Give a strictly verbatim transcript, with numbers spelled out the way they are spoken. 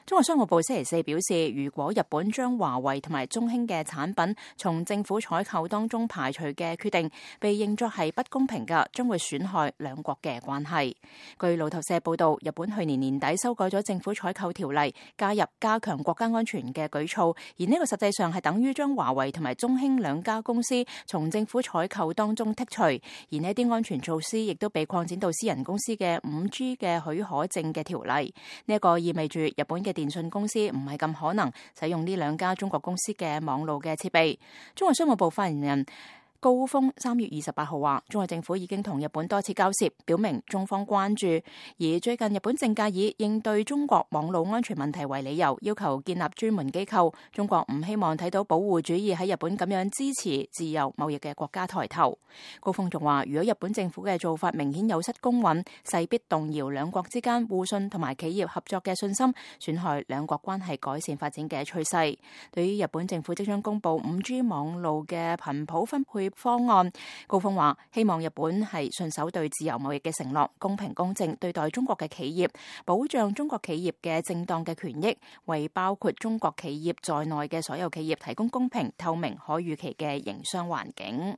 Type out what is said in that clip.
中國商務部星期四表示，如果日本將華為同埋中興嘅產品從政府採購當中排除嘅決定被認作係不公平嘅，將會損害兩國嘅關係。據路透社報道，日本去年年底修改咗政府採購條例，加入加強國家安全嘅舉措，而呢個實際上係等於將華為同埋中興兩家公司從政府採購當中剔除，而呢啲安全措施亦都被擴展到私人公司嘅五 G 嘅許可證嘅條例。呢一個意味住日本嘅電信公司唔係咁可能使用呢兩家中國公司嘅網路嘅設備。中國商務部發言人高峰三月二十八號話，中國政府已經同日本多次交涉，表明中方關注。而最近日本政界以應對中國網絡安全問題為理由，要求建立專門機構。中國唔希望睇到保護主義喺日本咁樣支持自由貿易嘅國家抬頭。高峰仲話，如果日本政府嘅做法明顯有失公允，勢必動搖兩國之間互信同埋企業合作嘅信心，損害兩國關係改善發展嘅趨勢。對於日本政府即將公布五 G 網路嘅頻譜分配方案，高峰話希望日本係信守對自由貿易嘅承諾，公平公正對待中國嘅企業，保障中國企業嘅正當嘅權益，為包括中國企業在內嘅所有企業提供公平、透明、可預期嘅營商環境。